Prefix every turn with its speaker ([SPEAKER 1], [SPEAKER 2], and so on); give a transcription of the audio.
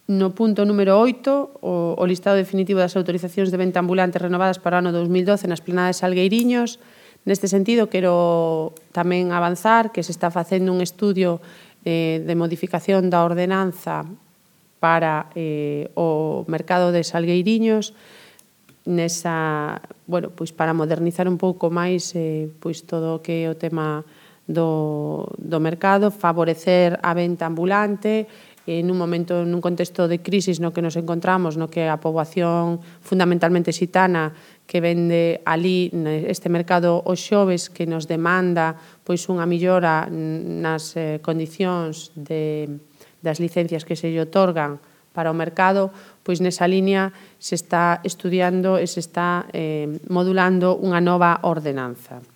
[SPEAKER 1] No punto número 8, o listado definitivo das autorizacións de venta ambulante renovadas para o ano 2012 nas plenadas de Salgueiriños. Neste sentido, quero tamén avanzar que se está facendo un estudio de modificación da ordenanza para o mercado de Salgueiriños, para modernizar un pouco máis todo o que é o tema do mercado, favorecer a venta ambulante, nun contexto de crisis no que nos encontramos, no que a poboación fundamentalmente xitana que vende ali este mercado os xoves, que nos demanda unha mellora nas condicións das licencias que se lle otorgan para o mercado, pois nesa línea se está estudiando e se está modulando unha nova ordenanza.